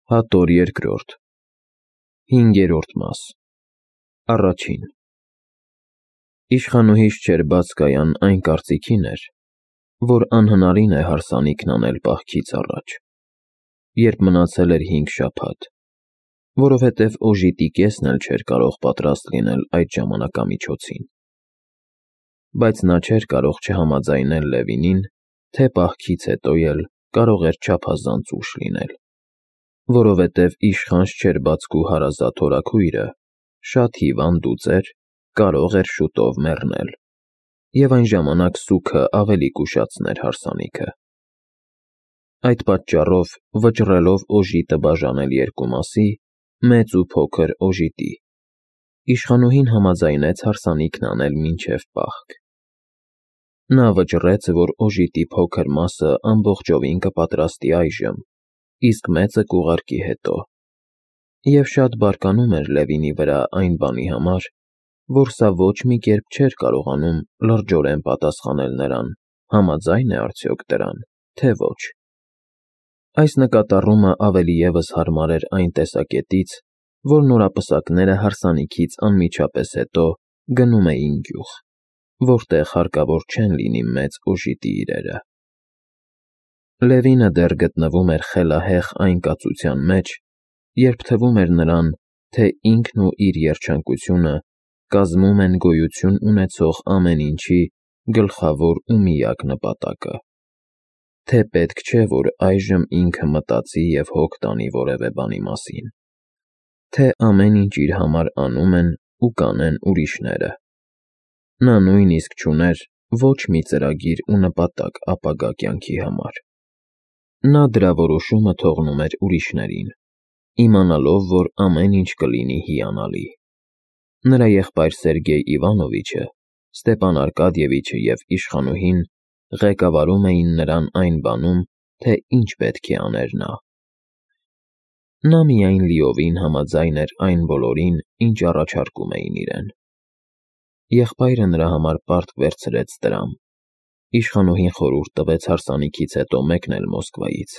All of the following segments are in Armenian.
Հատոր երկրորդ 5-րդ մաս Առաջին Իշխանուհիս չէր բաց կայան այն կարծիքին էր, որ անհնարին է հարսանիքն անել պահքից առաջ, երբ մնացել էր 5 շաբաթ, որովհետև օժիտի կեսն էլ չէր կարող պատրաստ լինել այդ ժամանակամիջոցին, բայց նա չէր կարող չհամաձայնել Լևինին, թե պահքից հետո էլ կարող էր չափազանց ուշ լինել, որովհետև իշխանց չէր բացկու հարազատ հորաքույրը, շատ հիվանդ ու ծեր, կարող էր շուտով մեռնել, և այն ժամանակ սուգը ավելի կուշացներ հարսանիքը։ Այդ պատճառով, վճռելով օժիտը բաժանել երկու մասի, մեծ ու փոքր օժիտի, իշխանուհին համաձայնեց հարսանիքն անել մինչև պահք։ Նա վճռեց, որ օժիտի փոքր մասը ամբողջովին կպատրաստի այժմ, իսկ մեծը կուղարկի հետո, և շատ բարկանում էր Լևինի վրա այն բանի համար, որ սա ոչ մի կերպ չէր կարողանում լրջորեն պատասխանել նրան, համաձայն է արդյոք դրան, թե ոչ։ Այս նկատառումը ավելի ևս հարմար էր այն տեսակետից, որ նորապսակները հարսանիքից անմիջապես հետո գնում էին գյուղ, որտեղ հարկավոր չեն լինի մեծ օժիտի իրերը։ Լևինը դեռ գտնվում էր խելահեղ այն կացության մեջ, երբ թվում էր նրան, թե ինքն ու իր երջանկությունը կազմում են գոյություն ունեցող ամեն ինչի գլխավոր ու միակ նպատակը, թե պետք չէ, որ այժմ ինքը մտածի և հոգ տանի որևէ բանի մասին, թե ամեն ինչ իր համար անում են ու կանեն ուրիշները։ Նա նույնիսկ չուներ ոչ մի ծրագիր ու նպատակ ապագա կյանքի համար։ Նա դրա որոշումը թողնում էր ուրիշներին, իմանալով, որ ամեն ինչ կլինի հիանալի։ Նրա եղբայր Սերգեյ Իվանովիչը, Ստեպան Արկադիևիչը և իշխանուհին ղեկավարում էին նրան այն բանում, թե ինչ պետք է աներ նա։ Նա միայն լիովին համաձայն էր այն բոլորին, ինչ առաջարկում էին իրեն։ Եղբայրը նրա համար պարտք վերցրեց տրամ, իշխանուհին խորհուրդ տվեց հարսանիքից հետո մեկնել Մոսկվայից։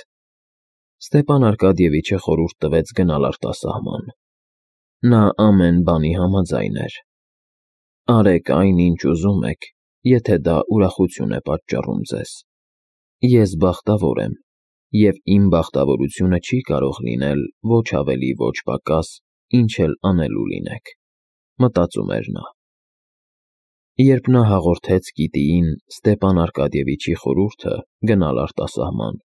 Ստեպան Արկադիևիչը խորհուրդ տվեց գնալ արտասահման։ Նա ամեն բանի համաձայն էր։ Արեք այն, ինչ ուզում եք, եթե դա ուրախություն է պատճառում ձեզ։ Ես բախտավոր եմ, և իմ բախտավորությունը չի կարող լինել ոչ ավելի, ոչ պակաս, ինչ էլ անելու լինեք, մտածում էր նա։ Երբ նա հաղորդեց Կիտիին Ստեպան Արկադիևիչի խորհուրդը գնալ արտասահման,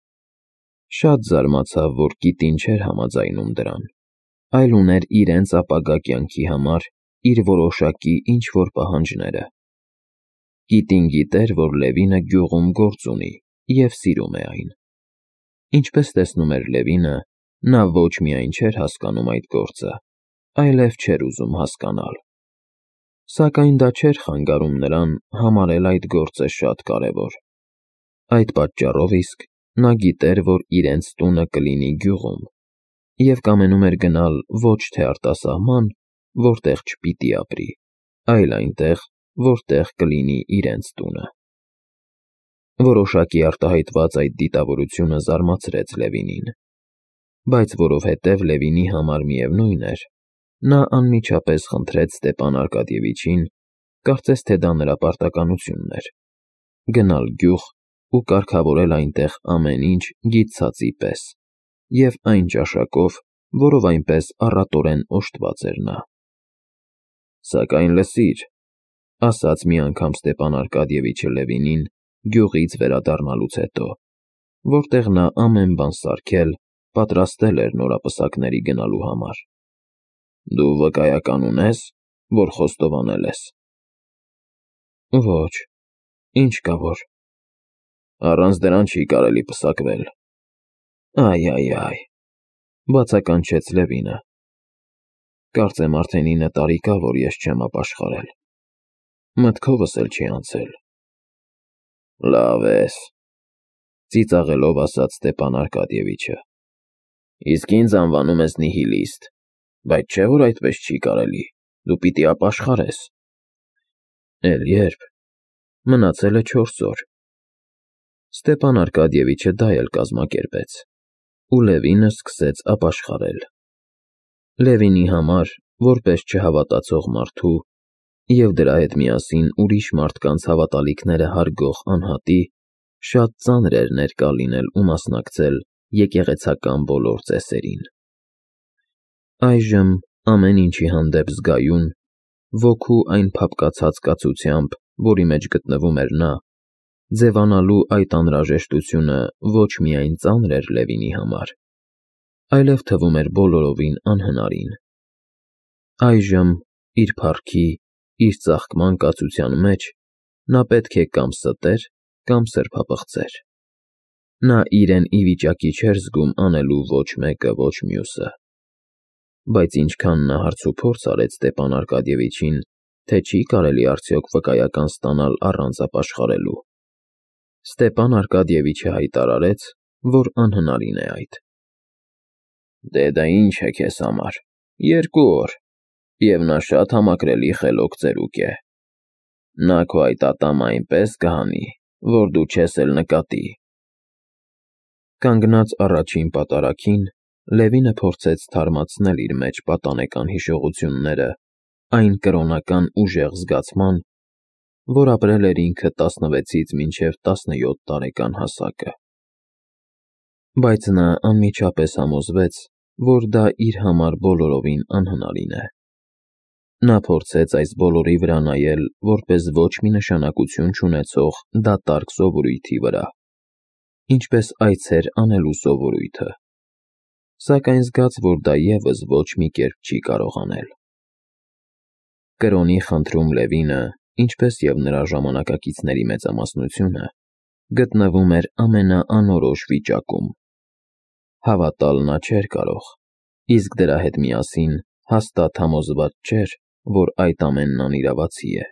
շատ զարմացավ, որ Կիտին չէր համաձայնում դրան, այլ ուներ իրենց ապագա կյանքի համար իր որոշակի ինչ-որ պահանջները։ Կիտին գիտեր, որ Լևինը գյուղում գործ ունի և սիրում է այն։ Ինչպես տեսնում էր Լևինը, նա ոչ միայն չէր հասկանում այդ գործը, այլև չէր ուզում հասկանալ։ Սակայն դա չէր խանգարում նրան համարել այդ գործը շատ կարևոր։ Այդ պատճառով իսկ նա գիտեր, որ իրենց տունը կլինի գյուղում, և կամենում էր գնալ ոչ թե արտասահման, որտեղ չպիտի ապրի, այլ այնտեղ, որտեղ կլինի իրենց տունը։ Որոշակի արտահայտված այդ դիտավորությունը զարմացրեց Լևինին, բայց որովհետև Լևինի համար միևնույն էր, նա անմիջապես խնդրեց Ստեպան Արկադիևիչին, կարծես թե դա նրա պարտականությունն էր, գնալ գյուղ ու կարգավորել այնտեղ ամեն ինչ գիտցածի պես և այն ճաշակով, որով այնպես առատորեն օժտված էր նա։ Սակայն լսիր, ասաց մի անգամ Ստեպան Արկադիևիչը Լևինին գյուղից վերադառնալուց հետո, որտեղ նա ամեն բան սարքել, պատրաստել էր նորապսակների գնալու համար։ Դու վկայական ունե՞ս, որ խոստովանել ես։ Ոչ, ինչ կա որ։ Առանց դրան չի կարելի պսակվել։ Այ, բացականչեց Լևինը։ Կարծեմ արդեն 9 տարի կա, որ ես չեմ ապաշխարել։ Մտքովս էլ չի անցել։ Լավ ես, ծիծաղելով ասաց Ստեպան Արկադիևիչը։ Իսկ ինձ անվանում ես նիհիլիստ, բայց չէ՞ որ այդպես չի կարելի, դու պիտի ապաշխարես։ Էլ երբ, մնացել է 4 օր։ Ստեպան Արկադիևիչը դա էլ կազմակերպեց։ ու Լևինը սկսեց ապաշխարել։ Լևինի համար, որպես չհավատացող մարդու և դրա հետ միասին ուրիշ մարդկանց հավատալիքները հարգող անհատի, շատ ծանր էր ներկա լինել ու մասնակցել եկեղեցական բոլոր ծեսերին։ Այժմ, ամեն ինչի հանդեպ զգայուն, ոգու այն փափկացած կացությամբ, որի մեջ գտնվում էր նա, ձևանալու այդ անհրաժեշտությունը ոչ միայն ծանր էր Լևինի համար, այլև թվում էր բոլորովին անհնարին։ Այժմ, իր փառքի, իր ծաղկման կացության մեջ, նա պետք է կամ ստեր, կամ սրբապղծեր։ Նա իրեն ի վիճակի չէր զգում անելու ոչ մեկը, ոչ մյուսը։ Բայց ինչքան նա հարցուփորձ արեց Ստեպան Արկադիևիչին, թե չի կարելի արդյոք վկայական ստանալ առանց ապաշխարելու, Ստեպան Արկադիևիչը հայտարարեց, որ անհնարին է այդ։ Դե դա ինչ է քեզ համար, 2 օր, և նա շատ համակրելի խելոք ծերուկ է։ Նա քո այդ ատամը այնպես կհանի, որ դու չես էլ նկատի։ Կանգնած առաջին պատարագին, Լևինը փորձեց թարմացնել իր մեջ պատանեկան հիշողությունները այն կրոնական ուժեղ զգացման, որ ապրել էր ինքը 16-ից մինչև 17 տարեկան հասակը։ Բայց նա անմիջապես համոզվեց, որ դա իր համար բոլորովին անհնարին է։ Նա փորձեց այս բոլորի վրա նայել որպես ոչ մի նշանակություն չունեցող դատարկ սովորույթի վրա, ինչպես այց էր անելու սովորույթը, սակայն զգաց, որ դա ևս ոչ մի կերպ չի կարող անել։ Կրոնի խնդրում Լևինը, ինչպես և նրա ժամանակակիցների մեծամասնությունը, գտնվում էր ամենաանորոշ վիճակում։ Հավատալ նա չէր կարող, իսկ դրա հետ միասին հաստատ համոզված չէր, որ այդ ամենն անիրավացի է։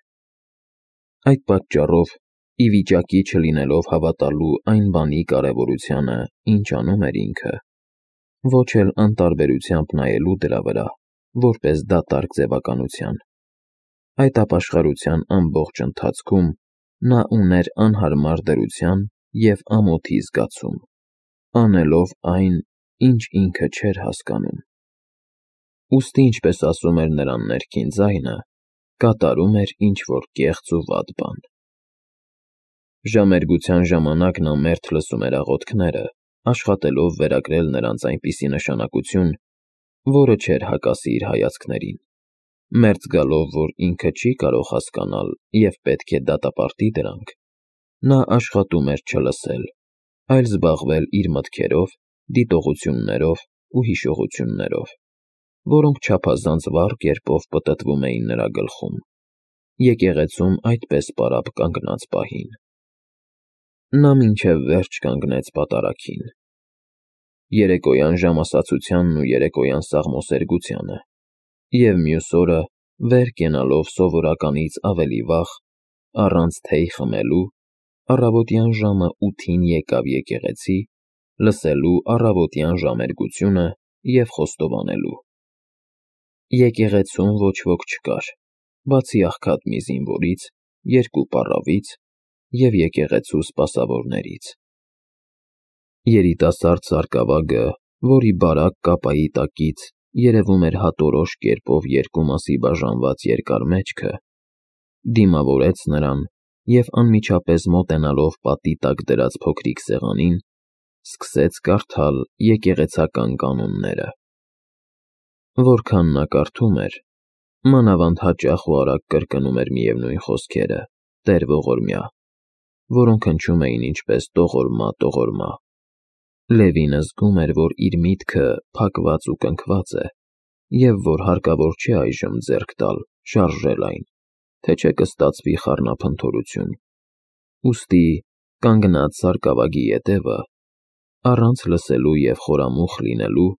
Այդ պատճառով, ի վիճակի չլինելով հավատալու այն բանի կարևորությանը, ինչ անում էր ինքը, ոչ էլ անտարբերությամբ նայելու դրա վրա, որպես դատարկ ձևականության, այդ ապաշխարության ամբողջ ընթացքում նա ուներ անհարմար դրության և ամոթի զգացում, անելով այն, ինչ ինքը չէր հասկանում։ Ուստի, ինչպես ասում էր նրա ներքին ձայնը, կատարում էր ինչ-որ կեղծ ու վատ բան։ Ժամերգության ժամանակ նա մերթ լսում էր աղոթքները, աշխատելով վերագրել նրանց այնպիսի նշանակություն, որը չէր հակասի իր հայացքներին, մերձ գալով, որ ինքը չի կարող հասկանալ և պետք է դատապարտի դրանք, նա աշխատում էր չլսել, այլ զբաղվել իր մտքերով, դիտողություններով ու հիշողություններով, որոնք չափազանց վառ կերպով պտտվում էին նրա գլխում, եկեղեցում այդպես պարապ կանգնած պահին։ Նա մինչև վերջ կանգնեց պատարագին։ Երեկոյան ժամասացությանն ու երեկոյան սաղմոսերգությանը, և մյուս օրը, վեր կենալով սովորականից ավելի վաղ, առանց թեյ խմելու, առավոտյան ժամը 8-ին եկավ եկեղեցի, լսելու առավոտյան ժամերգությունը և խոստովանելու։ Եկեղեցում ոչ ոք չկար, բացի աղքատ մի զինվորից, 2 պառավից և եկեղեցու սպասավորներից։ Երիտասարդ սարկավագը, որի բարակ կապայի տակից երևում էր հատորոշ կերպով 2 մասի բաժանված երկար մեջքը, դիմավորեց նրան և անմիջապես մոտենալով պատի տակ դրած փոքրիկ սեղանին, սկսեց կարդալ եկեղեցական կանոնները։ Որքան նա կարդում էր, մանավանդ հաճախ ու արագ կրկնում էր միևնույն խոսքերը, Տեր ողորմյա, որոնք հնչում էին ինչպես տողորմա։ Լևինը զգում էր, որ իր միտքը փակված ու կնքված է, և որ հարկավոր չէ այժմ ձեռք տալ, շարժել այն, թե չէ կստացվի խառնափնթորություն։ Ուստի, կանգնած սարկավագի ետևը, առանց լսելու և խորամուխ լինելու,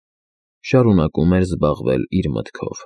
շարունակում էր զբաղվել իր մտքով։